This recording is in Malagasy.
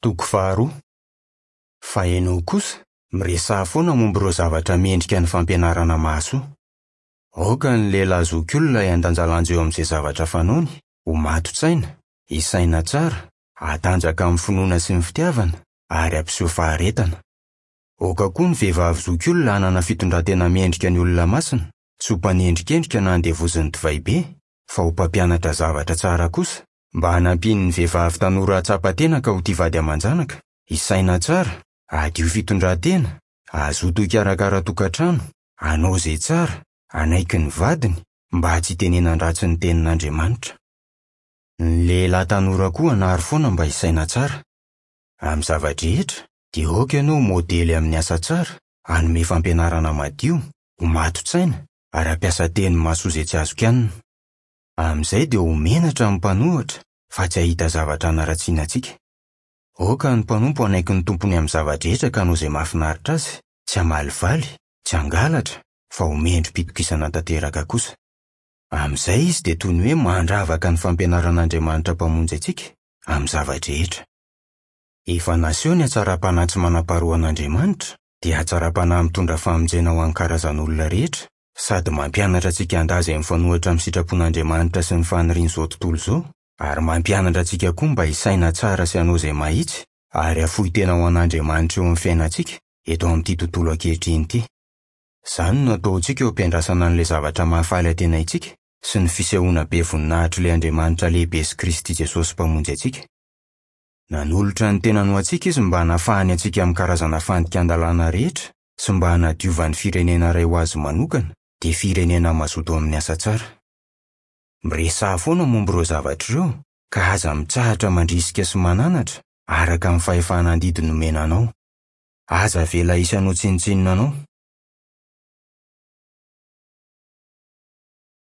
Toko faharoa. Fa ianao kosa, miresaha foana momba ireo zavatra mendrika ny fampianarana mahasoa. Aoka ny lehilahy zokiolona hiandanjalanja eo amin'izay zavatra fanaony, ho mato-tsaina, hisaina tsara, hatanjaka amin'ny finoana sy ny fitiavana, ary hampiseho faharetana. Aoka koa ny vehivavy zokiolona hanana fitondran-tena mendrika ny olona masina, tsy ho mpanendrikendrika na andevozin'ny divay be, fa ho mpampianatra zavatra tsara kosa, mba hanampiany ny vehivavy tanora hahatsapa tena ka ho tia vady aman-janaka, hisaina tsara, hadio fitondran-tena, hazoto hikarakara tokantrano, hanao izay tsara, hanaiky ny vadiny, mba tsy hitenenan-dratsy ny tenin'Andriamanitra. Ny lehilahy tanora koa hanary foana mba hisaina tsara. Amin'ny zava-drehetra, dia aoka ianao ho modely amin'ny asa tsara, hanome fampianarana madio, ho mato-tsaina, ary hampiasa teny mahasoa izay tsy azo kianina. Amin'izay dia ho menatra ny mpanohitra fa tsy hahita zavatra hanaratsiana antsika. Aoka ny mpanompo hanaiky ny tompony amin'ny zava-drehetra ka hanao izay mahafinaritra azy, tsy hamalivaly, tsy hangalatra, fa ho mendri-pitokisana tanteraka kosa. Amin'izay izy dia toy ny hoe mandravaka ny fampianaran'Andriamanitra Mpamonjy antsika amin'ny zava-drehetra. Efa naseho ny hatsaram-panahy tsy manam-paharoan'Andriamanitra, dia hatsaram-panahy mitondra famonjena ho an'ny karazan'olona rehetra, sady mampianatra antsika handà izay mifanohitra amin'ny sitrapon'Andriamanitra sy ny fanirian'izao tontolo izao, ary mampianatra antsika koa mba hisaina tsara sy hanao izay mahitsy, ary hafoy tena ho an'Andriamanitra eo amin'ny fiainantsika eto amin'ity tontolo ankehitriny ity. Izany no ataontsika eo am-piandrasana an'ilay zavatra mahafaly antenaintsika sy ny fisehoana be voninahitr'ilay Andriamanitra lehibe sy Kristy Jesosy Mpamonjy antsika. Nanolotra ny tenany ho antsika Izy mba hanafahany antsika amin'ny karazana fandikan-dalàna rehetra sy mba hanadiovany firenena iray ho Azy manokana, dia firenena mazoto amin'ny asa tsara. Miresaha foana momba ireo zavatra ireo, ka aza mitsahatra mandrisika sy mananatra, araka ny fahefana andidy nomena anao. Aza avela hisy hanao tsinontsinona anao.